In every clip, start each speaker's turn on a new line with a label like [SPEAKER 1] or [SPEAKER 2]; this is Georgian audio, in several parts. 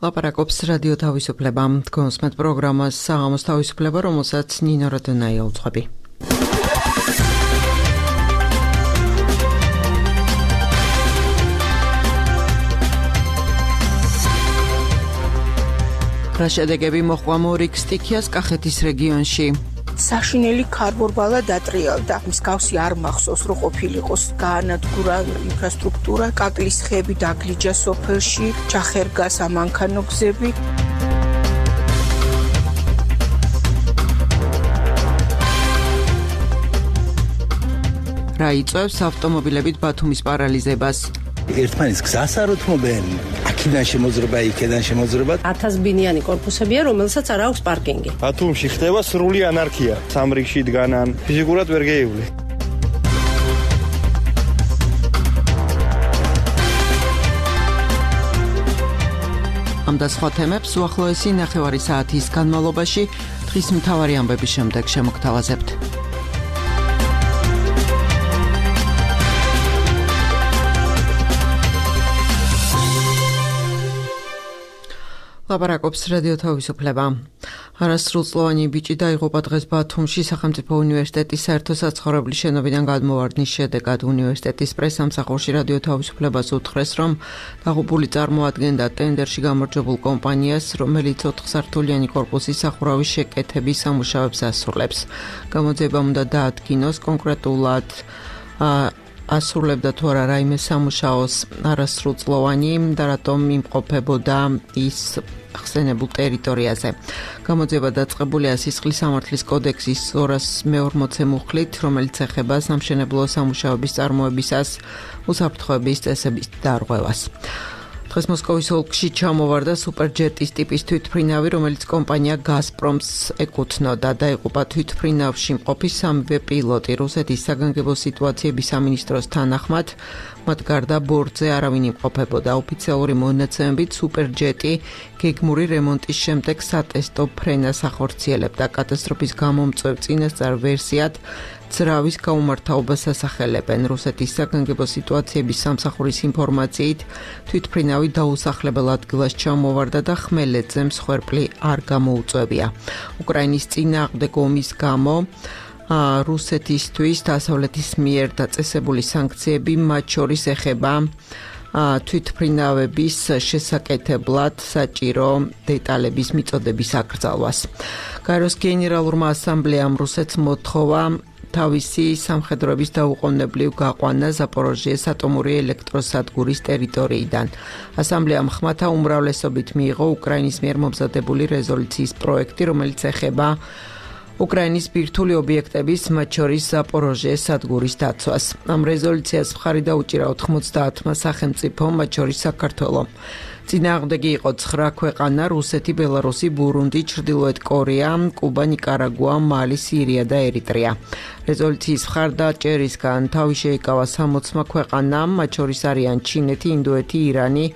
[SPEAKER 1] ლაპარაკობს რადიო თავისუფლება. თქვენსმეთ პროგრამას საღამოს თავისუფლება, რომელსაც ნინო რადონაია უძღვები. რა შედეგები მოჰყვა მორიგ სტიქიას კახეთის რეგიონში?
[SPEAKER 2] საშინელი ქარბორბალა დატრიალდა. მსგავსი არ მახსოვს, რომ ყოფილიყოს გაანადგურა ინფრასტრუქტურა, კაკლის ხეები დაგლიჯა სოფელში, ჩახერგა სამანქანო გზები.
[SPEAKER 1] რა იწვევს ავტომობილებით ბათუმის პარალიზებას?
[SPEAKER 3] ერთმანეთს გზას არ უთმობენ. აქედან შემოძრება, იქედან შემოძრება.
[SPEAKER 4] 1000 ბინიანი კორპუსებია, რომელსაც არ აქვს პარკინგი.
[SPEAKER 5] ბათუმში ხდება სრული ანარქია. სამრიგში დგანან, ფიზიკურად ვერ გეივლი.
[SPEAKER 1] ამ და სხვა თემებს უახლოესი ნახევარი საათის განმავლობაში დღის მთავარი ამბების შემდეგ შემოგთავაზებთ. ლაპარაკობს რადიო თავისუფლება. არასრულწლოვანი ბიჭი დაიღუპა დღეს ბათუმში სახელმწიფო უნივერსიტეტის საერთო საცხოვრებლის შენობიდან გადმოვარდნის შედეგად. უნივერსიტეტის პრესამსახურში რადიო თავისუფლებას უთხრეს, რომ დაღუპული წარმოადგენდა ტენდერში გამარჯვებულ კომპანიას, რომელიც 4-სართულიანი კორპუსის სახურავის შეკეთების სამუშაოებს ასრულებს. გამოძიებამ უნდა დაადგინოს კონკრეტულად ასრულებდა თუ არა რაიმე სამუშაოს არასრულწლოვანი და რატომ იმყოფებოდა ის ხსენებულ ტერიტორიაზე. გამოძიება დაწყებულია სისხლის სამართლის კოდექსის 240 მუხლით, რომელიც ეხება სამშენებლო სამუშაოების წარმოებისას უსაფრთხოების წესების დარღვევას. დღეს მოსკოვის ოლქში ჩამოვარდა სუპერჯეტის ტიპის თვითმფრინავი, რომელიც კომპანია გაზპრომს ეკუთვნოდა. დაიღუპა თვითმფრინავში მყოფი სამივე პილოტი. რუსეთის საგანგებო სიტუაციების სამინისტროს თანახმად, მათ გარდა ბორტზე არავინ იმყოფებოდა. ოფიციალური მონაცემებით სუპერჯეტი გეგმური რემონტის შემდეგ სატესტო ფრენას ახორციელებდა. კატასტროფის გამომწვევ წინასწარ ვერსიად ძრავის გაუმართავობას ასახელებენ. რუსეთის საგანგებო სიტუაციების სამსახურის ინფორმაციით, თვითმფრინავი დაუსახლებელ ადგილას ჩამოვარდა და ხმელეთზე მსხვერპლი არ გამოუწვევია. უკრაინის წინააღმდეგ ომის გამო რუსეთისთვის დასავლეთის მიერ დაწესებული სანქციები, მათ შორის ეხება თვითმფრინავების შესაკეთებლად საჭირო დეტალების მიწოდების აკრძალვას. გაეროს გენერალურმა ასამბლეამ რუსეთს მოთხოვა თავისი სამხედროების დაუყოვნებლივ გაყვანა ზაპოროჟიეს ატომური ელექტროსადგურის ტერიტორიიდან. ასამბლეამ ხმათა უმრავლესობით მიიღო უკრაინის მიერ მომზადებული რეზოლუციის პროექტი, რომელიც ეხება უკრაინის ბირთვული ობიექტების, მათ შორის ზაპოროჟიეს სადგურის დაცვას. ამ რეზოლუციას მხარი დაუჭირა 90-მა სახელმწიფომ, მათ შორის საქართველომ. წინააღმდეგი იყო 9 ქვეყანა: რუსეთი, ბელარუსი, ბურუნდი, ჩრდილოეთ კორეა, კუბა, ნიკარაგუა, მალი, სირია და ერიტრეა. რეზოლუციის მხარდაჭერისგან თავი შეიკავა 60 ქვეყანამ, მათ შორის არიან ჩინეთი, ინდოეთი, ირანი,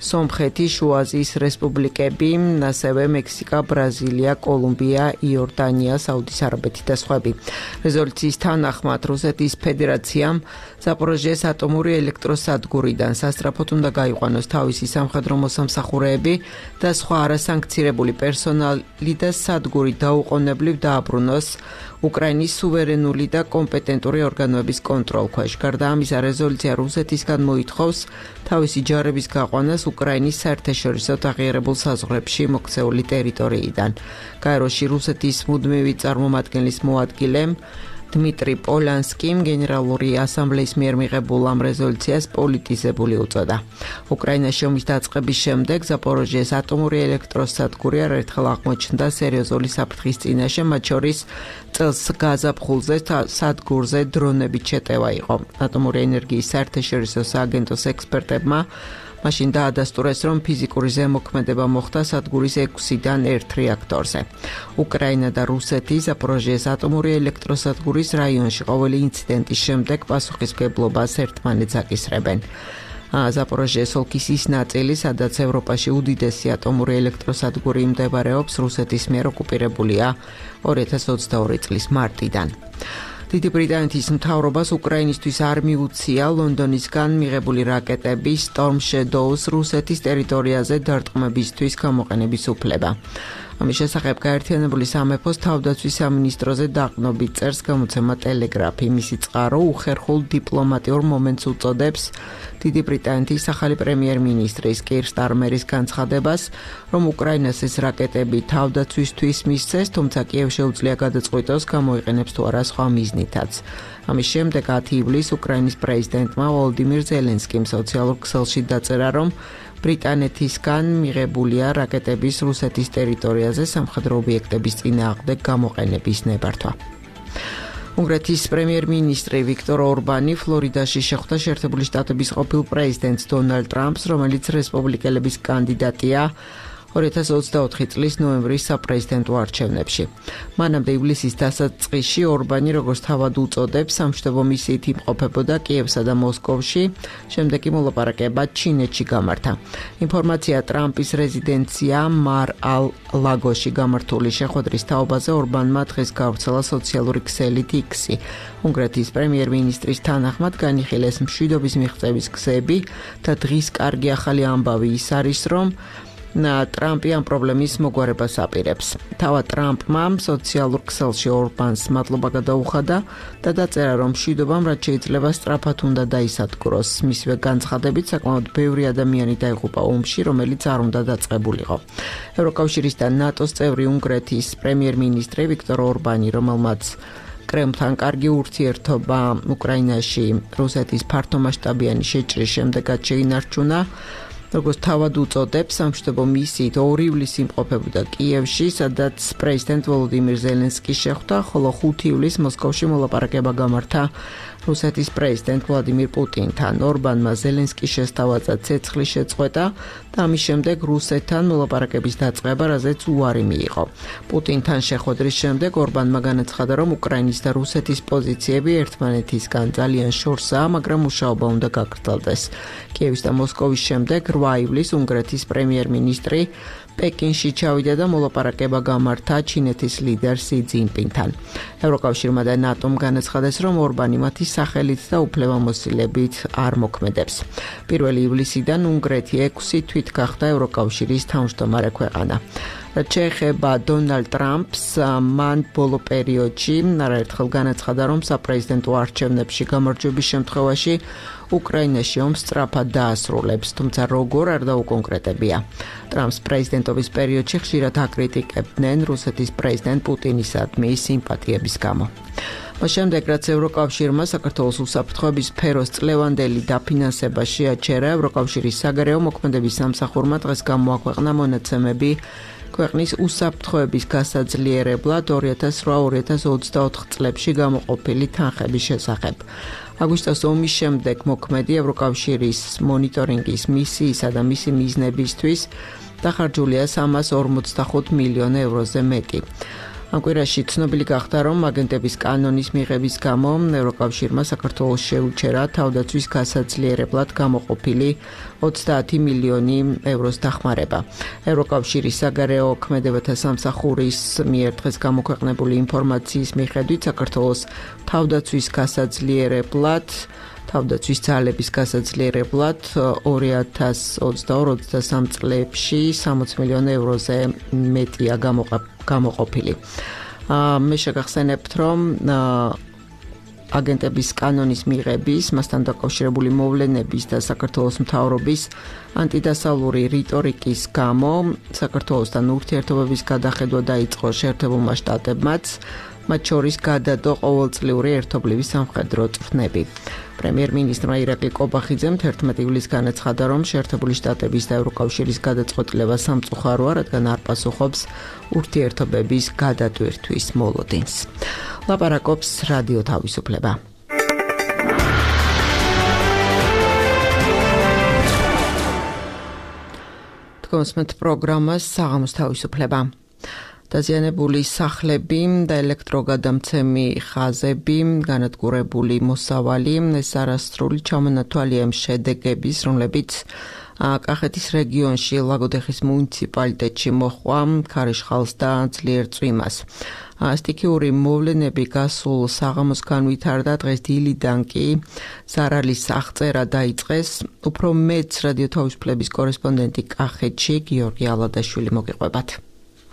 [SPEAKER 1] სომხეთი, შუა აზიის რესპუბლიკები, ასევე მექსიკა, ბრაზილია, კოლუმბია, იორდანია, საუდის არაბეთი და სხვები. რეზოლუციის თანახმად რუსეთის ფედერაციამ ზაპოროჟიეს ატომური ელექტროსადგურიდან სასწრაფოდ უნდა გაიყვანოს თავისი სამხედრო მოსამსახურეები და სხვა არასანქცირებული პერსონალი და სადგური დაუყოვნებლივ დააბრუნოს უკრაინის სუვერენული და კომპეტენტური ორგანოების კონტროლქვეშ. გარდა ამისა, რეზოლუცია რუსეთისგან მოითხოვს თავისი ჯარების გაყვანას უკრაინის საერთაშორისო აღიარებულ საზღვრებში მოქცეული ტერიტორიიდან. გაეროში რუსეთის მუდმივი წარმომადგენლის მოადგილემ დმიტრი პოლანსკიმ გენერალური ასამბლეის მიერ მიღებულ ამ რეზოლუციას პოლიტიზებული უწოდა. უკრაინაში ომის დაწყების შემდეგ ზაპოროჟიეს ატომური ელექტროსადგური არაერთხელ აღმოჩნდა სერიოზული საფრთხის წინაშე, მათ შორის წელს გაზაფხულზე სადგურზე დრონებით შეტევა იყო. ატომური ენერგიის საერთაშორისო სააგენტოს ექსპერტებმა მაშინ დაადასტურეს, რომ ფიზიკური ზემოქმედება მოხდა სადგურის 6-დან 1 რეაქტორზე. უკრაინა და რუსეთი ზაპოროჟიეს ატომური ელექტროსადგურის რაიონში ყოველი ინციდენტის შემდეგ პასუხისმგებლობას ერთმანეთს აკისრებენ. ზაპოროჟიეს ოლქის ის ნაწილი, სადაც ევროპაში უდიდესი ატომური ელექტროსადგური მდებარეობს, რუსეთის მიერ ოკუპირებულია 2022 წლის მარტიდან. დიდი ბრიტანეთის მთავრობას უკრაინისთვის არ მიუცია ლონდონისგან მიღებული რაკეტების Storm Shadows რუსეთის ტერიტორიაზე დარტყმებისთვის გამოყენების უფლება. ამის შესახებ გაერთიანებული სამეფოს თავდაცვის სამინისტროზე დაყრდნობით წერს გამოცემა ტელეგრაფი. მისი წყარო უხერხულ დიპლომატიურ მომენტს უწოდებს დიდი ბრიტანეთის ახალი პრემიერ-მინისტრის კირ სტარმერის განცხადებას, რომ უკრაინას ეს რაკეტები თავდაცვისთვის მისცეს, თუმცა კიევს შეუძლია გადაწყვიტოს გამოიყენებს თუ არა სხვა მიზნითაც. ამის შემდეგ 10 ივლისს უკრაინის პრეზიდენტმა ვოლოდიმირ ზელენსკიმ სოციალურ ქსელში დაწერა, რომ ბრიტანეთისგან მიღებულია რაკეტების რუსეთის ტერიტორიაზე სამხედრო ობიექტების წინააღმდეგ გამოყენების ნებართვა. უნგრეთის პრემიერ-მინისტრი ვიქტორ ორბანი ფლორიდაში შეხვდა შეერთებული შტატების ყოფილ პრეზიდენტს დონალდ ტრამპს, რომელიც რესპუბლიკელების კანდიდატია 2024 წლის ნოემბრის საპრეზიდენტო არჩევნებში. მანამდე ივლისის დასაწყისში ორბანი როგორც თავად უწოდებს, სამშვიდობო მისიით იმყოფებოდა კიევსა და მოსკოვში, შემდეგ კი მოლაპარაკება ჩინეთში გამართა. ინფორმაცია ტრამპის რეზიდენცია მარ-ალ-ლაგოში გამართული შეხვედრის თაობაზე ორბანმა დღეს გავრცელა სოციალური ქსელით X-ი. უნგრეთის პრემიერ-მინისტრის თანახმად განიხილეს მშვიდობის მიღწევის გზები და დღის კარგი ახალი ამბავი ის არის, რომ ტრამპი ამ პრობლემის მოგვარებას აპირებს. თავად ტრამპმა სოციალურ ქსელში ორბანს მადლობა გადაუხადა და დაწერა, რომ მშვიდობამ რაც შეიძლება სწრაფად უნდა დაისადგუროს. მისივე განცხადებით საკმაოდ ბევრი ადამიანი დაიღუპა ომში, რომელიც არ უნდა დაწყებულიყო. ევროკავშირის და ნატოს წევრი უნგრეთის პრემიერ-მინისტრი ვიქტორ ორბანი, რომელმაც კრემლთან კარგი ურთიერთობა უკრაინაში რუსეთის ფართომასშტაბიანი შეჭრის შემდეგაც შეინარჩუნა, როგორც თავად უწოდებს, სამშვიდობო მისიით 2 ივლისს იმყოფებოდა კიევში, სადაც პრეზიდენტ ვოლოდიმირ ზელენსკი შეხვდა, ხოლო 5 ივლისს მოსკოვში მოლაპარაკება გამართა რუსეთის პრეზიდენტ ვლადიმირ პუტინთან. ორბანმა ზელენსკის შესთავაზა ცეცხლის შეწყვეტა და ამის შემდეგ რუსეთთან მოლაპარაკების დაწყება, რაზეც უარი მიიღო. პუტინთან შეხვედრის შემდეგ ორბანმა განაცხადა, რომ უკრაინის და რუსეთის პოზიციები ერთმანეთისგან ძალიან შორსაა, მაგრამ მუშაობა უნდა გაგრძელდეს. კიევის და მოსკოვის შემდეგ 8 ივლისს უნგრეთის პრემიერ-მინისტრი პეკინში ჩავიდა და მოლაპარაკება გამართა ჩინეთის ლიდერ სი ძინპინთან. ევროკავშირმა და ნატომ განაცხადეს, რომ ორბანი მათი სახელით და უფლებამოსილებით არ მოქმედებს. 1 ივლისიდან უნგრეთი 6 თვით გახდა ევროკავშირის თავმჯდომარე ქვეყანა. რაც შეეხება დონალდ ტრამპს, მან ბოლო პერიოდში არაერთხელ განაცხადა, რომ საპრეზიდენტო არჩევნებში გამარჯვების შემთხვევაში უკრაინაში ომს სწრაფად დაასრულებს, თუმცა როგორ არ დაუკონკრეტებია. ტრამპს პრეზიდენტობის პერიოდში ხშირად აკრიტიკებდნენ რუსეთის პრეზიდენტ პუტინისადმი სიმპათიების გამო. შემდეგ, რაც ევროკავშირმა საქართველოს უსაფრთხოების სფეროს წლევანდელი დაფინანსება შეაჩერა, ევროკავშირის საგარეო მოქმედების სამსახურმა დღეს გამოაქვეყნა მონაცემები ქვეყნის უსაფრთხოების გასაძლიერებლად 2008-2024 წლებში გამოყოფილი თანხების შესახებ. აგვისტოს ომის შემდეგ მოქმედი ევროკავშირის მონიტორინგის მისიისა და მისი მიზნებისთვის დახარჯულია 345 მილიონ ევროზე მეტი. ამ კვირაში ცნობილი გახდა, რომ აგენტების კანონის მიღების გამო ევროკავშირმა საქართველოს შეუჩერა თავდაცვის გასაძლიერებლად გამოყოფილი 30 მილიონი ევროს დახმარება. ევროკავშირის საგარეო ქმედებათა სამსახურის მიერ დღეს გამოქვეყნებული ინფორმაციის მიხედვით საქართველოს თავდაცვის ძალების გასაძლიერებლად 2022-23 წლებში 60 მილიონ ევროზე მეტია გამოყოფილი. მე შეგახსენებთ, რომ აგენტების კანონის მიღების, მასთან დაკავშირებული მოვლენების და საქართველოს მთავრობის ანტიდასავლური რიტორიკის გამო საქართველოსთან ურთიერთობების გადახედვა დაიწყო შეერთებულმა შტატებმაც, მათ შორის გადადო ყოველწლიური ერთობლივი სამხედრო წვრთნები. პრემიერ-მინისტრმა ირაკლი კობახიძემ 11 ივლისს განაცხადა, რომ შეერთებული შტატების და ევროკავშირის გადაწყვეტილება სამწუხაროა, რადგან არ პასუხობს ურთიერთობების გადატვირთვის მოლოდინს. ლაპარაკობს რადიო თავისუფლება. თქვენს პროგრამას საღამოს თავისუფლება. დაზიანებული სახლები და ელექტროგადამცემი ხაზები, განადგურებული მოსავალი, ეს არასრული ჩამონათვალია იმ შედეგების, რომლებიც კახეთის რეგიონში ლაგოდეხის მუნიციპალიტეტში მოჰყვა ქარიშხალს და ძლიერ წვიმას. სტიქიური მოვლენები გასულ საღამოს განვითარდა, დღეს დილიდან კი ზარალის აღწერა დაიწყეს. უფრო მეც რადიო თავისუფლების კორესპონდენტი კახეთში გიორგი ალადაშვილი მოგიყვებათ.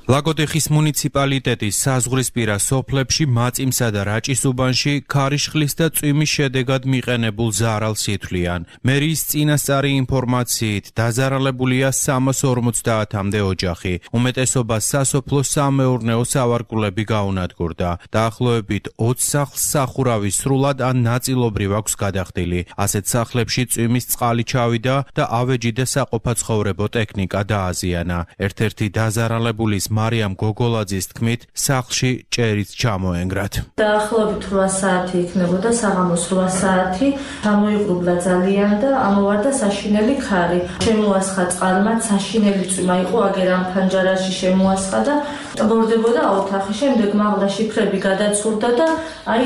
[SPEAKER 6] ლაგოდეხის მუნიციპალიტეტის საზღვრისპირა სოფლებში მაწიმსა და რაჭის-უბანში ქარიშხლის და წვიმის შედეგად მიყენებულ ზარალს ითვლიან. მერიის წინასწარი ინფორმაციით დაზარალებულია 350-მდე ოჯახი. უმეტესობა სასოფლო სამეურნეო სავარგულები გაუნადგურდა. დაახლოებით 20 სახლს სახურავი სრულად ან ნაწილობრივ აქვს გადახდილი. ასეთ სახლებში წვიმის წყალი ჩავიდა და ავეჯი და საყოფაცხოვრებო ტექნიკა დააზიანა. ერთ-ერთი დაზარალებულის მარიამ გოგოლაძის თქმით, სახლში ჭერიც ჩამოენგრათ.
[SPEAKER 7] დაახლოებით 8 საათი იქნებოდა, საღამოს 8 საათი, ჩამოიღრუბლა ძალიან და ამოვარდა საშინელი ქარი. შემოასხა წყალმაც, საშინელი წვიმა იყო, აგერ ამ ფანჯარაში შემოასხა და ტბორდებოდა ოთახი. შემდეგ მაღლა შიფრები გადაცურდა და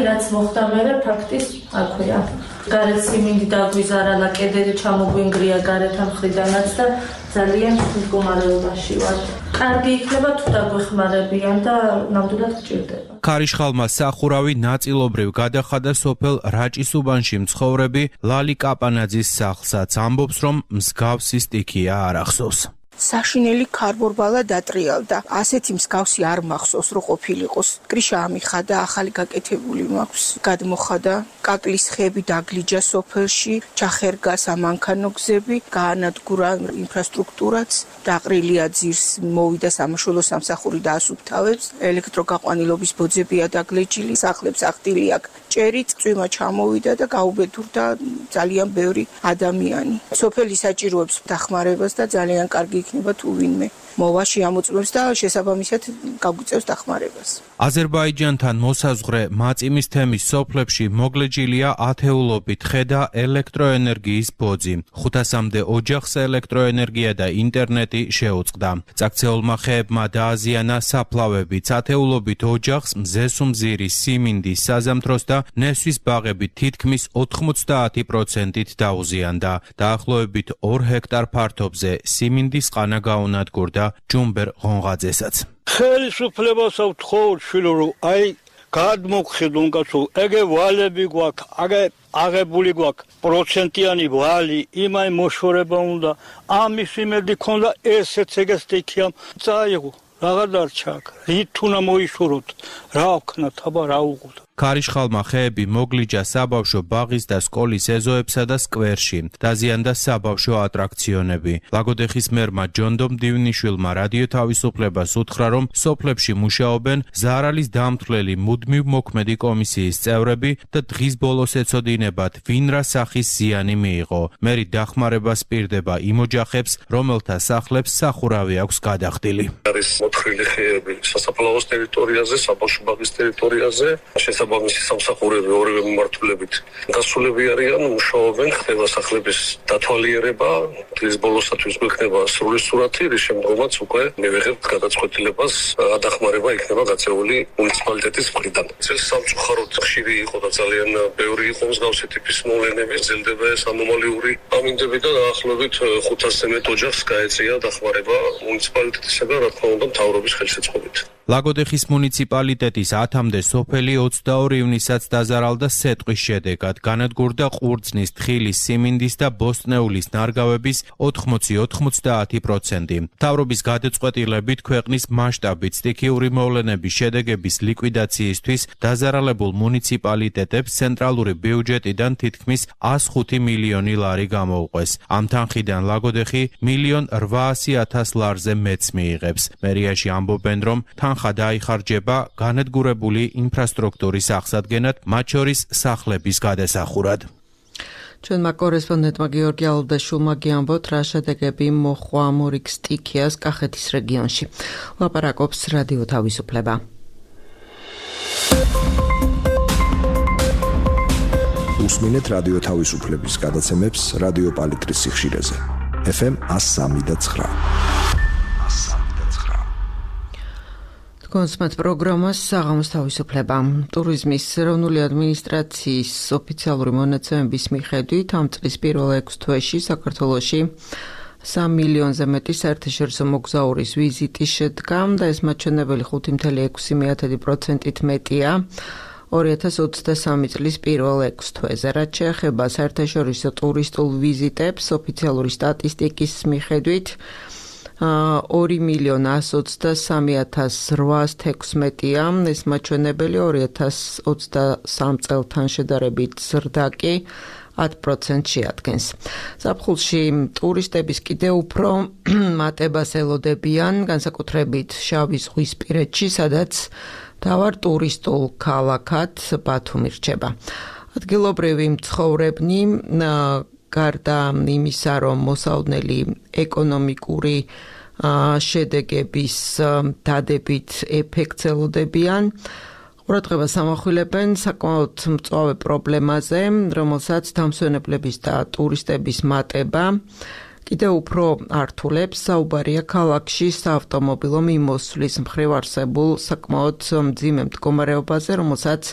[SPEAKER 7] რაც მოხდა მერე ფაქტის აქვეა. გარეთ სიმინდი დაგვიზარალა, კედელი ჩამოგვინგრია გარეთ მხრიდანაც და ძალიან მდგომარეობაში ვარ. კარგი იქნება თუ დაგვეხმარებიან და ნამდვილად გჭირდება.
[SPEAKER 6] ქარიშხალმა სახურავი ნაწილობრივ გადახადა სოფელ რაჭის-უბანში მცხოვრები ლალი კაპანაძის სახლსაც. ამბობს, რომ მსგავსი სტიქია არ ახსოვს.
[SPEAKER 2] საშინელი ქარბორბალა დატრიალდა. ასეთი მსგავსი არ მახსოვს, რომ ყოფილიყოს. კრიშა ამიხადა, ახალი გაკეთებული მაქვს. გადმოხადა, კაკლის ხეები დაგლიჯა სოფელში, ჩახერგა სამანქანო გზები, გაანადგურა ინფრასტრუქტურაც, დაყრილია ძირს, მოვიდა სამაშველო სამსახური და ასუფთავებს, ელექტროგაყვანილობის ბოძებია დაგლეჯილი, სახლებს ახდილი აქ ჭერიც, წვიმა ჩამოვიდა და გაუბედურდა ძალიან ბევრი ადამიანი. სოფელი საჭიროებს დახმარებას და ძალიან კარგი იქნება თუ ვინმე მოვა შეამოწმებს და შესაბამისად გაგვიწევს დახმარებას.
[SPEAKER 6] აზერბაიჯანთან მოსაზღვრე მაწიმის თემის სოფლებში მოგლეჯილია ათეულობით ხე და ელექტროენერგიის ბოძი. 500-მდე ოჯახს ელექტროენერგია და ინტერნეტი შეუწყდა. წაქცეულმა ხეებმა დააზიანა საფლავებიც. ათეულობით ოჯახს მზესუმზირი, სიმინდის, საზამთროს და ნესვის ბაღები თითქმის 90%-ით დაუზიანდა. დაახლოებით 2 ჰექტარ ფართობზე სიმინდის ყანა გაუნადგურდა ჯუმბერ ღონღაძესაც.
[SPEAKER 8] ხელისუფლებასა ვთხოვ შვილო, რომ გადმოგხედონ კაცო, ეგე ვალები გვაქვს, აღებული გვაქვს პროცენტიანი ვალი, იმაი მოშორება უნდა, ამის იმედი ქონდა ესეც ეგ სტიქია წაიღო, რაღა დარჩა აქ, რით უნდა მოიშოროთ, რა ვქნათ, აბა რა უყოთ.
[SPEAKER 6] ქარიშხალმა ხეები მოგლიჯა საბავშვო ბაღის და სკოლის ეზოებსა და სკვერში. დაზიანდა საბავშვო ატრაქციონები. ლაგოდეხის მერმა ჯონდომ დივნიშვილმა რადიო თავისუფლებას უთხრა, რომ სოფლებში მუშაობენ ზარალის დამთვლელი მუდმივ მოქმედი კომისიის წევრები და დღის ბოლოს ეცოდინებათ, ვინ რა სახის ზიანი მიიღო. მერი დახმარებას პირდება იმ ოჯახებს, რომელთა სახლებს სახურავი აქვს გადახდილი.
[SPEAKER 9] არის მოთხრილი ხეები სასაფლაოს ტერიტორიაზე, საბავშვო ბაღის ტერიტორიაზე. საბამისი სამსახურები ორივე მიმართულებით დასულები არიან, მუშაობენ, ხდება სახლების დათვალიერება, დღის ბოლოსათვის გვექნება სრული სურათი, რის შემდგომაც უკვე მივიღებთ გადაწყვეტილებას, დახმარება იქნება გაწეული მუნიციპალიტეტის მხრიდან. წელს სამწუხაროდ ხშირი იყო და ძალიან ბევრი იყო მსგავსი ტიპის მოვლენები, ძლდება ეს ანომალიური ამინდები და დაახლოებით 500-ზე მეტ ოჯახს გაეწია დახმარება მუნიციპალიტეტისაგან, რა თქმა უნდა, მთავრობის ხელშეწყობით.
[SPEAKER 6] ლაგოდეხის მუნიციპალიტეტის 10-მდე სოფელი 22 ივნისაც დაზარალდა სეტყვის შედეგად. განადგურდა ყურძნის, თხილის, სიმინდის და ბოსტნეულის ნარგავების 80-90%. მთავრობის გადაწყვეტილებით ქვეყნის მასშტაბით სტიქიური მოვლენების შედეგების ლიკვიდაციისთვის დაზარალებულ მუნიციპალიტეტებს ცენტრალური ბიუჯეტიდან თითქმის 105 მილიონი ლარი გამოუყვეს. ამ თანხიდან ლაგოდეხი 1.8 მილიონ ლარზე მეც მიიღებს. მერიაში ამბობენ, რომ თანხა დაიხარჯება განადგურებული ინფრასტრუქტურის აღსადგენად, მათ შორის სახლების გადასახურად.
[SPEAKER 1] ჩვენმა კორესპონდენტმა გიორგი ალადაშვილმა გიამბოთ, რა შედეგები მოჰყვა მორიგ სტიქიას კახეთის რეგიონში. ლაპარაკობს რადიო თავისუფლება.
[SPEAKER 10] უსმინეთ რადიო თავისუფლების გადაცემებს რადიო პალიტრის სიხშირეზე. FM 103.9.
[SPEAKER 1] კონსმეთ პროგრამას საღამოს თავისუფლება. ტურიზმის ეროვნული ადმინისტრაციის ოფიციალური მონაცემების მიხედვით ამ წლის პირველ 6 თვეში საქართველოში 3 მილიონზე მეტი საერთაშორისო მოგზაურის ვიზიტი შედგა და ეს მაჩვენებელი 5.6%-ით მეტია 2023 წლის პირველ 6 თვეზე. რაც შეეხება საერთაშორისო ტურისტულ ვიზიტებს, ოფიციალური სტატისტიკის მიხედვით 2.123.816-ია ეს მაჩვენებელი 2023 წელთან შედარებით ზრდა კი 10% შეადგენს. ზაფხულში ტურისტების კიდევ უფრო მატებას ელოდებიან, განსაკუთრებით შავი ზღვისპირეთში, სადაც მთავარ ტურისტულ ქალაქად ბათუმი რჩება. ადგილობრივი მცხოვრებნი გარდა იმისა, რომ მოსაოდნელი ეკონომიკური შედეგების დადებით ეფექტს ელოდებიან, ყურადღებას ამახვილებენ საკმაოდ მწვავე პრობლემაზე, რომელსაც დამსვენებლების და ტურისტების მატება კიდევ უფრო ართულებს. საუბარია ქალაქში საავტომობილო მიმოსვლის მხრივ არსებულ საკმაოდ მძიმე მდგომარეობაზე, რომელსაც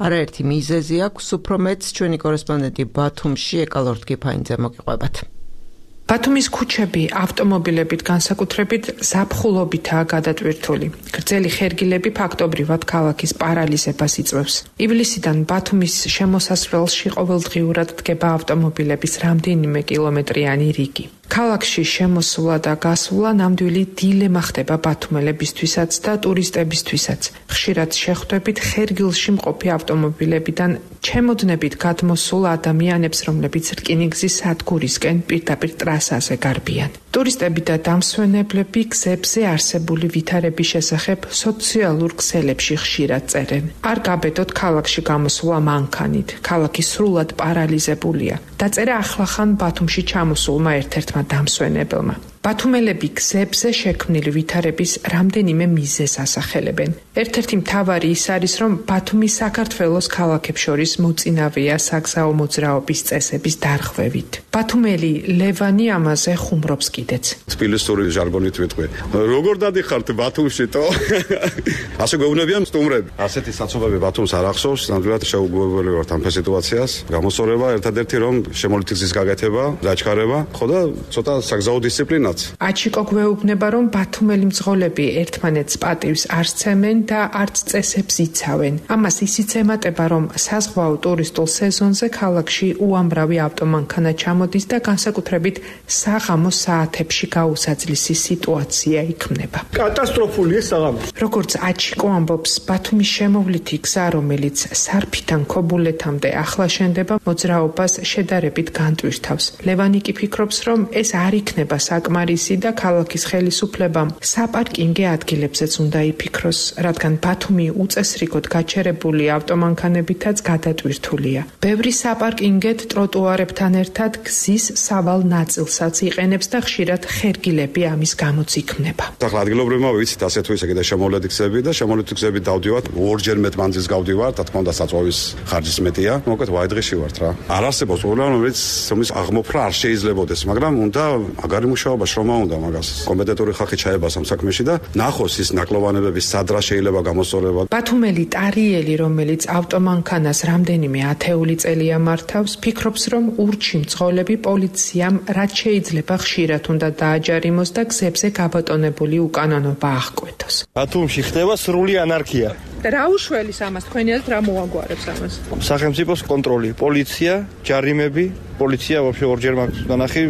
[SPEAKER 1] არაერთი მიზეზი აქვს. უფრო მეტს ჩვენი კორესპონდენტი ბათუმში ეკალორთ კიფაინძე მოგიყვებათ.
[SPEAKER 11] ბათუმის ქუჩები ავტომობილებით განსაკუთრებით ზაფხულობითაა გადატვირთული. გრძელი ხერგილები ფაქტობრივად ქალაქის პარალიზებას იწვევს. ივლისიდან ბათუმის შემოსასვლელში ყოველდღიურად დგება ავტომობილების რამდენიმე კილომეტრიანი რიგი. ქალაქში შემოსვლა და გასვლა ნამდვილი დილემა ხდება ბათუმელებისთვისაც და ტურისტებისთვისაც. ხშირად შეხვდებით ხერგილში მყოფი ავტომობილებიდან ჩემოდნებით გადმოსულ ადამიანებს, რომლებიც რკინიგზის სადგურისკენ პირდაპირ ტრასაზე გარბიან. ტურისტები და დამსვენებლები გზებზე არსებული ვითარების შესახებ სოციალურ ქსელებში ხშირად წერენ. არ გაბედოთ ქალაქში გამოსვლა მანქანით. ქალაქი სრულად პარალიზებულია. დაწერა ახლახან ბათუმში ჩამოსულმა ერთ-ერთმა დამსვენებელმა. ბათუმელები გზებზე შექმნილი ვითარების რამდენიმე მიზეზს ასახელებენ. ერთ-ერთი მთავარი ის არის, რომ ბათუმი საქართველოს ქალაქებს შორის მოწინავეა საგზაო მოძრაობის წესების დარღვევით. ბათუმელი ლევანი ამაზე ხუმრობს კიდეც.
[SPEAKER 12] თბილისური ჟარგონით ვიტყვი. როგორ დადიხართ ბათუმში თო? ასე გვეუბნებიან სტუმრები. ასეთი საცობები ბათუმს არ ახსოვს, ნამდვილად შეუგუებელი ვართ ამ სიტუაციას. გამოსწორება ერთადერთი რომ შემოვლითი გზის გაკეთება, დაჩქარება, ხო და ცოტა საგზაო დისციპლინა.
[SPEAKER 11] აჩიკო გვეუბნება, რომ ბათუმელი მძღოლები ერთმანეთს პატივს არ სცემენ და არც წესებს იცავენ. ამას ისიც ემატება, რომ საზღვაო ტურისტულ სეზონზე ქალაქში უამრავი ავტომანქანა ჩამოდის და განსაკუთრებით საღამოს საათებში გაუსაძლისი სიტუაცია იქმნება.
[SPEAKER 5] კატასტროფულია საღამოს.
[SPEAKER 11] როგორც აჩიკო ამბობს, ბათუმის შემოვლითი გზა, რომელიც სარფიდან ქობულეთამდე ახლა შენდება, მოძრაობას შედარებით განტვირთავს. ლევანი კი ფიქრობს, რომ ეს არ იქნება საკმარისი და ქალაქის ხელისუფლებამ საპარკინგე ადგილებზეც უნდა იფიქროს, რადგან ბათუმი უწესრიგოდ გაჩერებული ავტომანქანებითაც გადატვირთულია. ბევრი საპარკინგედ ტროტუარებთან ერთად გზის სავალ ნაწილსაც იყენებს და ხშირად ხერგილები ამის გამოც იქმნება.
[SPEAKER 12] ახლა ადგილობრივმა ვიცით ასე თუ ისე კიდე შემოვლითი გზები და შემოვლითი გზები დავდივართ, ორჯერ მეტ მანძილს გავდივართ, რა თქმა უნდა საწვავის ხარჯის მეტია. მოკლედ ვაიდღეში ვართ რა. არ არსებობს პრობლემა, რომელიც აღმოფხვრა არ შეიძლებაოდეს, მაგრამ უნდა მაგარი მუშაობა შრომა უნდა მაგას. კომპეტენტური ხალხი ჩაებას ამ საქმეში და ნახოს ის ნაკლოვანებების სადრა შეიძლება გამოსწორება.
[SPEAKER 11] ბათუმელი ტარიელი, რომელიც ავტომანქანას რამდენიმე ათეული წელია მართავს, ფიქრობს, რომ ურჩი მძღოლები პოლიციამ რაც შეიძლება ხშირად უნდა დააჯარიმოს და გზებზე გაბატონებული უკანონობა აღკვეთოს.
[SPEAKER 5] ბათუმში ხდება სრული ანარქია.
[SPEAKER 11] რა უშველის ამას თქვენი აზრით რა მოაგვარებს ამას?
[SPEAKER 5] სახელმწიფოს კონტროლი, პოლიცია, ჯარიმები, პოლიცია ვაფშე ორჯერ მაქვს დანახი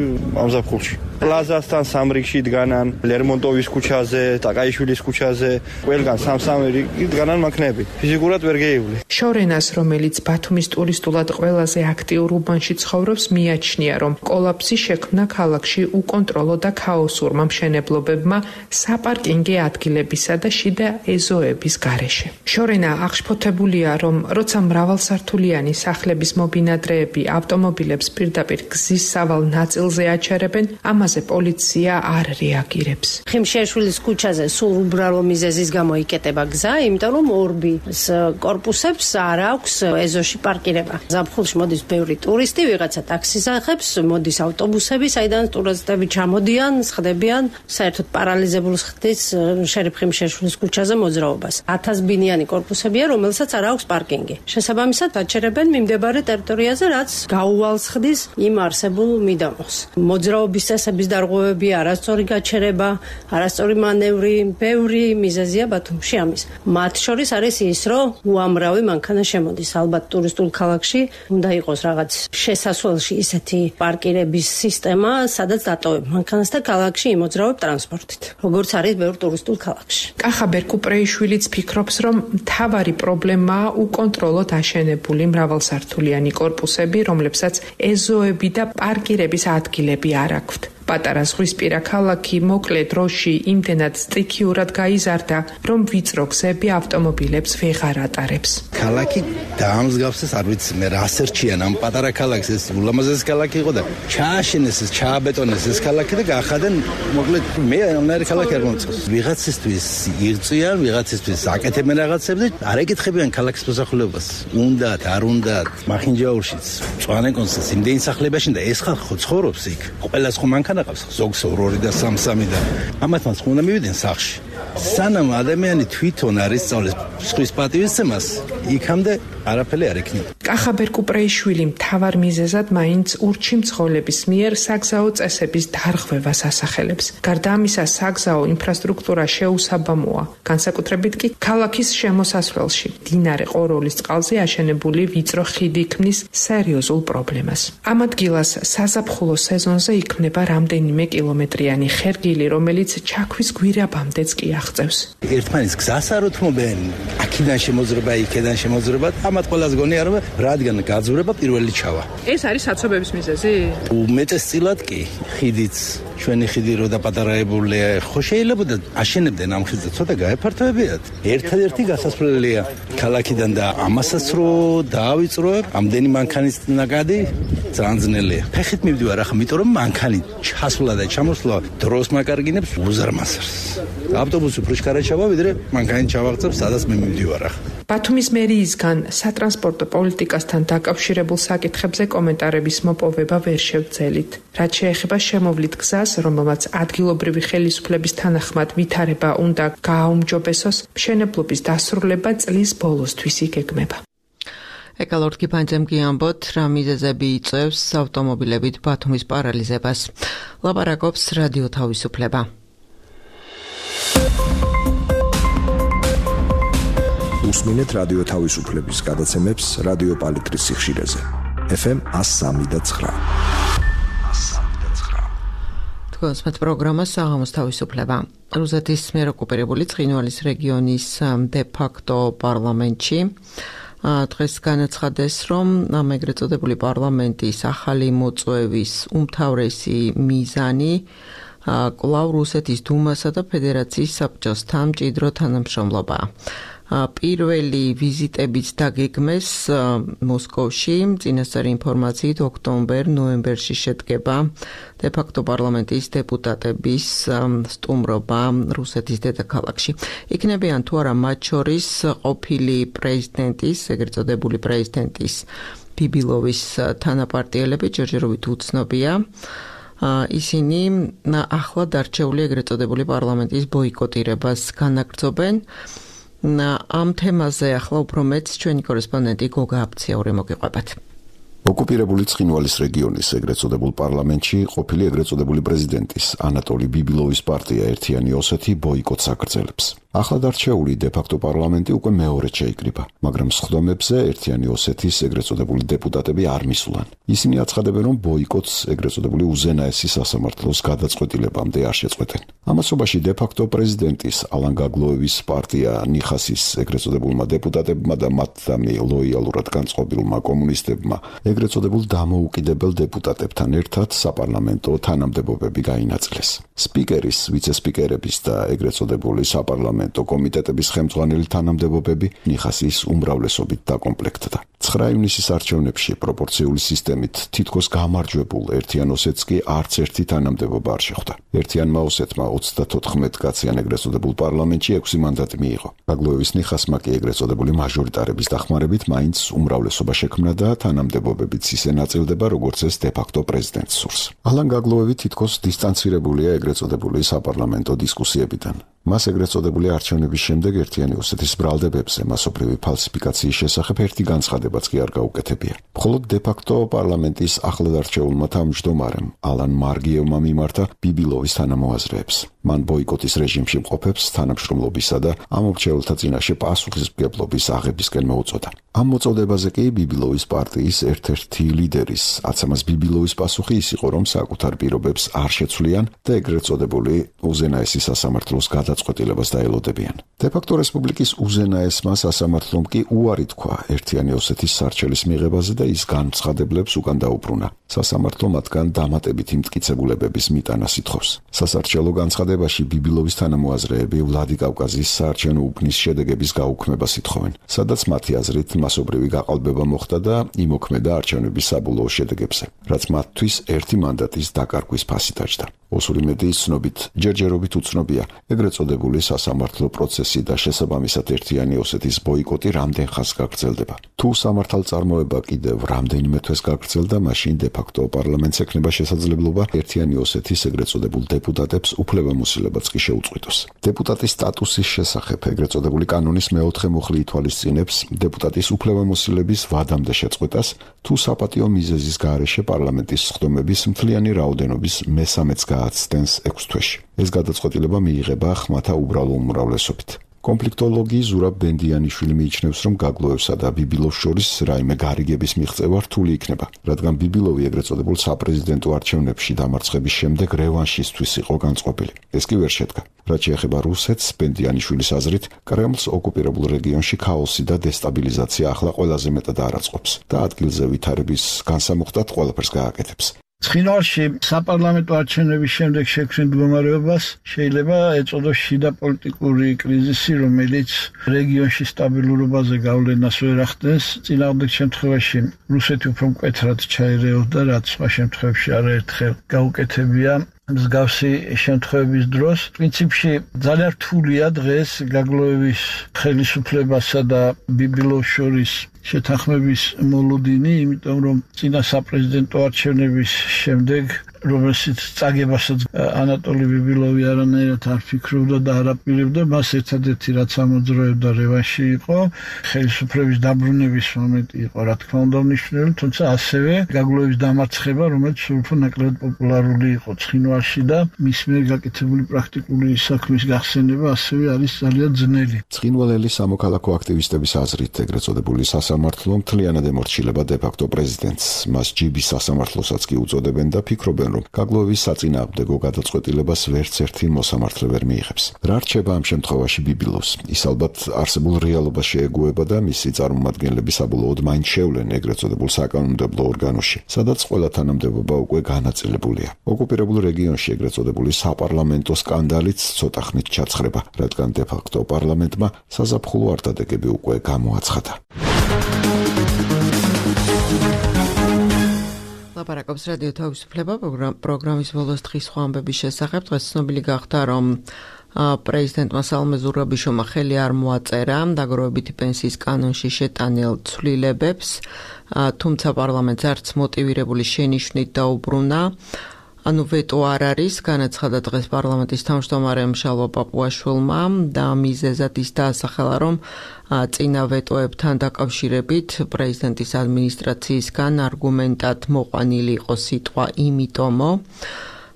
[SPEAKER 5] ამ ზაფხულში. პლაზასთან სამრიგში დგანან, ლერმონტოვის ქუჩაზე, ტაკაიშვილის ქუჩაზე, ყველგან სამ-სამი რიგი დგანან მანქანები. ფიზიკურად ვერ გეივლი.
[SPEAKER 11] შორენას, რომელიც ბათუმის ტურისტულად ყველაზე აქტიურ უბანში ცხოვრობს, მიაჩნია, რომ კოლაფსი შექმნა ქალაქში უკონტროლო და ქაოსურმა მშენებლობებმა საპარკინგე ადგილებისა და შიდა ეზოების გარეშე. შორენა აღშფოთებულია, რომ როცა მრავალსართულიანი სახლების მობინადრეები ავტომობილებს პირდაპირ გზის სავალ ნაწილზე აჩერებენ, ამაზე პოლიცია არ რეაგირებს.
[SPEAKER 4] ხიმშეშვილის ქუჩაზე სულ უბრალო მიზეზის გამო იკეტება გზა, იმიტომ რომ ორბის კორპუსებს არ აქვს ეზოში პარკირება. ზაფხულში მოდის ბევრი ტურისტი, ვიღაცა ტაქსის ახებს, მოდის ავტობუსები, საიდან ტურისტები ჩამოდიან, სხდებიან, საერთოდ პარალიზებულს ხდის შერიფ ხიმშეშვილის ქუჩაზე მოძრაობას. 1000 ბინიანი მდროუნიანი корпуსებია, რომელსაც არ აქვს პარკინგი. შესაბამისად, აჩერებენ მიმდებარე ტერიტორიაზე, რაც გაუვალს ხდის იმ არსებულ მიდამოს. მოძრაობის წესების დარღვევები, არასწორი გაჩერება, არასწორი მანევრი, ბევრი მიზეზია ბათუმში ამის. მათ შორის არის ის, რომ უამრავი მანქანა შემოდის. ალბათ ტურისტულ ქალაქში უნდა იყოს რაღაც შესასვლელში ისეთი პარკირების სისტემა, სადაც დატოვებ მანქანას და ქალაქში იმოძრავებ ტრანსპორტით. როგორც არის ბევრ ტურისტულ ქალაქში.
[SPEAKER 11] კახა ბერკუპრეიშვილიც ფიქრობს, რომ მთავარი პრობლემაა უკონტროლოდ აშენებული მრავალსართულიანი корпуსები, რომლებსაც ეზოები და პარკირების ადგილები არ აქვთ. პატარა ზღვისპირა ქალაქი მოკლე დროში იმდენად სტიქიურად გაიზარდა, რომ ვიწრო გზები ავტომობილებს ვეღარ ატარებს.
[SPEAKER 3] ქალაქი დაამსგავსეს, არ ვიცი მე რა სერჩიან ამ პატარა ქალაქს, ეს ულამაზესი ქალაქი იყო და ჩააშენეს ეს, ჩააბეტონეს ეს ქალაქი და გაახადენ, მოკლედ მე ამნაირი ქალაქი არ მომწონს. ვიღაცისთვის იღწვიან, ვიღაცისთვის აკეთებენ რაღაცებს და არ ეკითხებიან ქალაქის მოსახლეობას. უნდათ, არ უნდათ, მახინჯაურშიც, წვანეკონსაც იმდენი სახლებაში და ეს ხალხი ხო ცხოვრობს იქ. ყველას ხო მანქანა ზოგს 2 და 3 და ამათ მას უნდა მივიდნენ სახში. სანამ ადამიანი თვითონ არის სწავლეს სხვის პატივისცემას, იქამდე არაფერი არ ექნება.
[SPEAKER 11] კახა ბერკუპრეიშვილი მთავარ მიზეზად მაინც ურჩი-მძღოლების მიერ საგზაო წესების დარღვევას ასახელებს. გარდა ამისა, საგზაო ინფრასტრუქტურა შეუსაბამოა, განსაკუთრებით კი ქალაქის შემოსასვლელში. მდინარე ყოროლის წყალზე აშენებული ვიწრო ხიდი ქმნის სერიოზულ პრობლემას. ამ ადგილას საზაფხულო სეზონზე იქმნება რამდენიმე კილომეტრიანი ხერგილი, რომელიც ჩაქვის გვირაბამდეც კი აღწევს.
[SPEAKER 3] ერთმანეთს გზას არ უთმობენ, აქედან შემოძრება, იქედან შემოძრება, ამათ ყველას გონია რომ რადგან გაძვრება პირველი ჩავა.
[SPEAKER 11] ეს არის საცობების მიზეზი?
[SPEAKER 3] უმეტესწილად კი, ხიდიც ჩვენი ხიდი რო დაპატარაებულია, ხო შეიძლება და აშენებდნენ ამ ხიდს და ცოტა გაეფართოებიათ. ერთადერთი გასასვლელია ქალაქიდან და ამასაც რო დაავიწროებ, ამდენი მანქანის ნაკადი ძალიან ძნელია. ფეხით მივდივარ ახლა, იმიტომ რომ მანქანი ჩასვლა და ჩამოსვლა დროს მაკარგინებს უზარმაზრს. ავტობუსი უფრო შკარა ჩავა, ვიდრე მანქანი ჩავაღწევ, სადაც მე მივდივარ ახლა.
[SPEAKER 11] ბათუმის მერიისგან სატრანსპორტო პოლიტიკასთან დაკავშირებულ საკითხებზე კომენტარების მოპოვება ვერ შევძელით. რაც შეეხება შემოვლით გზას, რომელმაც ადგილობრივი ხელისუფლების თანახმად ვითარება უნდა გააუმჯობესოს, მშენებლობის დასრულება წლის ბოლოსთვის იგეგმება.
[SPEAKER 1] ეკალორდ გიფანძემ გიამბოთ, რა მიზეზები იწვევს ავტომობილებით ბათუმის პარალიზებას. ლაპარაკობს რადიო თავისუფლება.
[SPEAKER 10] უსმინეთ რადიო თავისუფლების გადაცემებს რადიო პალიტრის სიხშირეზე. FM 103.9.
[SPEAKER 1] თქვენს პროგრამა საღამოს თავისუფლება. რუსეთის მიერ ოკუპირებული ცხინვალის რეგიონის დე-ფაქტო პარლამენტში დღეს განაცხადეს, რომ ამ ეგრეთ წოდებული პარლამენტის ახალი მოწვევის უმთავრესი მიზანი კვლავ რუსეთის დუმასა და ფედერაციის საბჭოსთან მჭიდრო თანამშრომლობაა. პირველი ვიზიტებიც დაგეგმეს მოსკოვში, წინასწარი ინფორმაციით ოქტომბერ-ნოემბერში შედგება დე-ფაქტო პარლამენტის დეპუტატების სტუმრობა რუსეთის დედაქალაქში. იქნებიან თუ არა მათ შორის ყოფილი პრეზიდენტის, ეგრეთ წოდებული პრეზიდენტის ბიბილოვის თანაპარტიელები, ჯერჯერობით უცნობია. ისინი ახლად არჩეული ეგრეთ წოდებული პარლამენტის ბოიკოტირებას განაგრძობენ. ამ თემაზე ახლა უფრო მეც ჩვენი კორესპონდენტი გოგა აფციაური მოგიყვებათ.
[SPEAKER 10] ოკუპირებული ცხინვალის რეგიონის ეგრეთ წოდებულ პარლამენტში ყოფილი ეგრეთ წოდებული პრეზიდენტის ანატოლი ბიბილოვის პარტია ერთიანი ოსეთი ბოიკოტს აგრძელებს. ახლად არჩეული დე-ფაქტო პარლამენტი უკვე მეორედ შეიკრიბა, მაგრამ სხდომებზე ერთიანი ოსეთის ეგრეთ წოდებული დეპუტატები არ მისვლან. ისინი აცხადებენ, რომ ბოიკოტს ეგრეთ წოდებული უზენაესი სასამართლოს გადაწყვეტილებამდე არ შეწყვეტენ. ამასობაში დე-ფაქტო პრეზიდენტის ალან გაგლოევის პარტია ნიხასის ეგრეთ წოდებულმა დეპუტატებმა და მათთამი ლოიალურად განწყობილმა კომუნისტებმა ეგრეთ წოდებულ დამოუკიდებელ დეპუტატებთან ერთად საპარლამენტო თანამდებობები გაინაწილეს. სპიკერის, ვიცე-სპიკერების და ეგრეთ წოდებული საპარლამენტო კომიტეტების ხელმძღვანელი თანამდებობები ნიხასის უმრავლესობით დაკომპლექტდა. 9 ივნისის არჩევნებში პროპორციული სისტემით თითქოს გამარჯვებულ ერთიან ოსეთს კი არც ერთი თანამდებობა არ შეხვდა. ერთიანმა ოსეთმა 34 კაციან ეგრეთ წოდებულ პარლამენტში 6 მანდატი მიიღო. გაგლოევის ნიხასმა კი ეგრეთ წოდებული მაჟორიტარების დახმარებით მაინც უმრავლესობა შექმნა და თანამდებობებიც ისე ნაწილდება, როგორც ეს დე-ფაქტო პრეზიდენტს სურს. ალან გაგლოევი თითქოს დისტანცირებულია ეგრეთ წოდებული საპარლამენტო დისკუსიებიდან. მას ეგრეთ წოდებული არჩევნების შემდეგ ერთიანი ოსეთის ბრალდებებზე მასობრივი ფალსიფიკაციის შესახებ ერთი განცხადებაც კი არ გაუკეთებია. მხოლოდ დე-ფაქტო პარლამენტის ახლად არჩეულმა თავმჯდომარემ ალან მარგიევმა მიმართა ბიბილოვის თანამოაზრეებს. მან ბოიკოტის რეჟიმში მყოფებს თანამშრომლობისა და ამ მრჩეველთა წინაშე პასუხისმგებლობის აღებისკენ მოუწოდა. ამ მოწოდებაზე კი ბიბილოვის პარტიის ერთ-ერთი ლიდერის აცამას ბიბილოვის პასუხი ის იყო, რომ საკუთარ პირობებს არ შეცვლიან და ეგრეთ წოდებული უზენაესი სასამართლოს გადაწყვეტილებას დაელოდებიან. დე-ფაქტო რესპუბლიკის უზენაესმა სასამართლომ კი უარი თქვა ერთიანი ოსეთის სარჩელის მიღებაზე და ის განცხადებლებს უკან დაუბრუნა. სასამართლო მათგან დამატებითი მტკიცებულებების მიტანას ითხოვს. სასარჩელო განცხადებაში ბიბილოვის თანამოაზრეები ვლადიკავკაზის საარჩევნო უბნის შედეგების გაუქმებას ითხოვენ, სადაც მათი აზრით მასობრივი გაყალბება მოხდა და იმოქმედა არჩევნების საბოლოო შედეგებზე, რაც მათთვის ერთი მანდატის დაკარგვის ფასი დაჯდა. ოსური მედიის ცნობით, ჯერჯერობით უცნობია ეგრეთ წოდებული სასამართლო პროცესი და შესაბამისად ერთიანი ოსეთის ბოიკოტი რამდენ ხანს გაგრძელდება. თუ სამართალწარმოება კიდევ რამდენიმე თვეს გაგრძელდა, მაშინ დე-ფაქტო პარლამენტს ექნება შესაძლებლობა ერთიანი ოსეთის ეგრეთ წოდებულ დეპუტატებს უფლებამოსილებაც კი შეუწყვიტოს. დეპუტატის სტატუსის შესახებ ეგრეთ წოდებული კანონის მეოთხე მუხლი ითვალისწინებს დეპუტატის უფლებამოსილების ვადამდე შეწყვეტას, თუ საპატიო მიზეზის გარეშე პარლამენტის სხდომების მთლიანი რაოდენობის მესამეც გააცდენს 6 თვეში. ეს გადაწყვეტილება მიიღება ხმათა უბრალო უმრავლესობით. კონფლიქტოლოგი ზურაბ ბენდიანიშვილი მიიჩნევს, რომ გაგლოევსა და ბიბილოვს შორის რაიმე გარიგების მიღწევა რთული იქნება, რადგან ბიბილოვი ეგრეთ წოდებულ საპრეზიდენტო არჩევნებში დამარცხების შემდეგ რევანშისთვის იყო განწყობილი. ეს კი ვერ შედგა. რაც შეეხება რუსეთს, ბენდიანიშვილის აზრით, კრემლს ოკუპირებულ რეგიონში ქაოსი და დესტაბილიზაცია ახლა ყველაზე მეტად არაწყობს და ადგილზე ვითარების განსამუხტად ყველაფერს გააკეთებს.
[SPEAKER 13] ცხინვალში საპარლამენტო არჩევნების შემდეგ შექმნილ მდგომარეობას შეიძლება ეწოდოს შიდა პოლიტიკური კრიზისი, რომელიც რეგიონში სტაბილურობაზე გავლენას ვერ ახდენს. წინააღმდეგ შემთხვევაში რუსეთი უფრო მკვეთრად ჩაერეოდა, რაც სხვა შემთხვევებში არაერთხელ გაუკეთებია. მსგავსი შემთხვევების დროს პრინციპში ძალიან რთულია დღეს გაგლოევის ხელისუფლებასა და ბიბილოვს შორის შეთანხმების მოლოდინი, იმიტომ რომ წინა საპრეზიდენტო არჩევნების შემდეგ რომელშიც წაგებასაც ანატოლი ბიბილოვი არანაირად არ ფიქრობდა და არ აპირებდა, მას ერთადერთი რაც ამოძრავებდა რევანში იყო, ხელისუფლების დაბრუნების მომენტი იყო, რა თქმა უნდა მნიშვნელოვანი, თუმცა ასევე გაგლოევის დამარცხება, რომელიც სულ უფრო ნაკლად პოპულარული იყო ცხინვალში და მის მიერ გაკეთებული პრაქტიკული საქმის გახსენება ასევე არის ძალიან ძნელი.
[SPEAKER 10] ცხინვალელი სამოქალაქო აქტივისტების აზრით ეგრეთ წოდებული სასამართლო მთლიანად ემორჩილება დე-ფაქტო პრეზიდენტს, მას ჯიბის სასამართლოსაც კი უწოდებენ და ფიქრობენ, რომ გაგლოევის საწინააღმდეგო გადაწყვეტილებას ვერც ერთი მოსამართლე ვერ მიიღებს. რა რჩება ამ შემთხვევაში ბიბილოვს? ის ალბათ არსებულ რეალობას შეეგუება და მისი წარმომადგენლები საბოლოოდ მაინც შევლენ ეგრეთ წოდებულ საკანონმდებლო ორგანოში, სადაც ყველა თანამდებობა უკვე განაწილებულია. ოკუპირებულ რეგიონში ეგრეთ წოდებული საპარლამენტო სკანდალიც ცოტა ხნით ჩაცხრება, რადგან დე-ფაქტო პარლამენტმა საზაფხულო არტადეგები უკვე გამოაცხადა.
[SPEAKER 1] ლაპარაკობს რადიო თავისუფლება პროგრამის ბოლოს დღის სხვა ამბების შესახებ. დღეს ცნობილი გახდა, რომ პრეზიდენტმა სალომე ზურაბიშვილმა ხელი არ მოაწერა დაგროვებითი პენსიის კანონში შეტანილ ცვლილებებს, თუმცა პარლამენტს არც მოტივირებული შენიშვნით დაუბრუნა. ვეტო არ არის, განაცხადა დღეს პარლამენტის თავმჯდომარემ შალვა პაპუაშვილმა და მიზეზად ის დაასახელა, რომ წინა ვეტოებთან დაკავშირებით პრეზიდენტის ადმინისტრაციისგან არგუმენტად მოყვანილი იყო სიტყვა იმიტომო.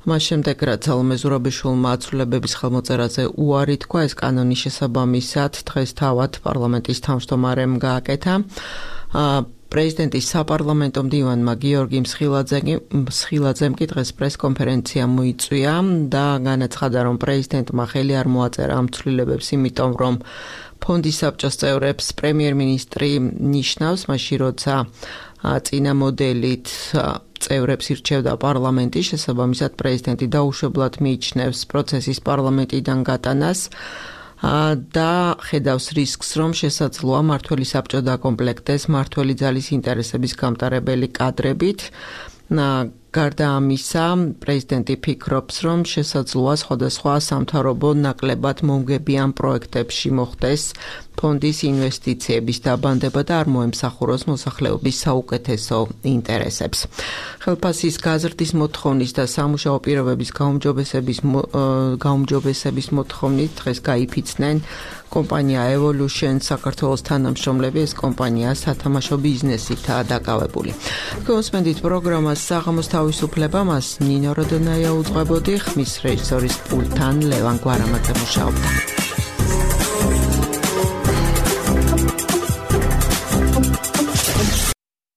[SPEAKER 1] მას შემდეგ, რაც სალომე ზურაბიშვილმა ცვლილებების ხელმოწერაზე უარი თქვა, ეს კანონის შესაბამისად დღეს თავად პარლამენტის თავმჯდომარემ გააკეთა. პრეზიდენტის საპარლამენტო მდივანმა გიორგი მსხილაძემ კი დღეს პრესკონფერენცია მოიწვია და განაცხადა, რომ პრეზიდენტმა ხელი არ მოაწერა ამ ცვლილებებს, იმიტომ რომ ფონდის საბჭოს წევრებს პრემიერ-მინისტრი ნიშნავს, მაშინ როცა წინა მოდელით წევრებს ირჩევდა პარლამენტი, შესაბამისად პრეზიდენტი დაუშვებლად მიიჩნევს პროცესის პარლამენტიდან გატანას და ხედავს რისკს, რომ შესაძლოა მმართველი საბჭო დაკომპლექტდეს მმართველი ძალის ინტერესების გამტარებელი კადრებით. გარდა ამისა, პრეზიდენტი ფიქრობს, რომ შესაძლოა სხვადასხვა სამთავრობო ნაკლებად მომგებიან პროექტებში მოხდეს ფონდის ინვესტიციების დაბანდება და არ მოემსახუროს მოსახლეობის საუკეთესო ინტერესებს. ხელფასის გაზრდის მოთხოვნის და სამუშაო პირობების გაუმჯობესების მოთხოვნით დღეს გაიფიცნენ კომპანია Evolution საქართველოს თანამშრომლები. ეს კომპანია სათამაშო ბიზნესითაა დაკავებული. გოსმენდით პროგრამას საღამოს თავისუფლება მას ნინო როდონაია უძღვებოდი, ხმის რეჟისორის პულტთან ლევან გვარამაძე მუშაობდა.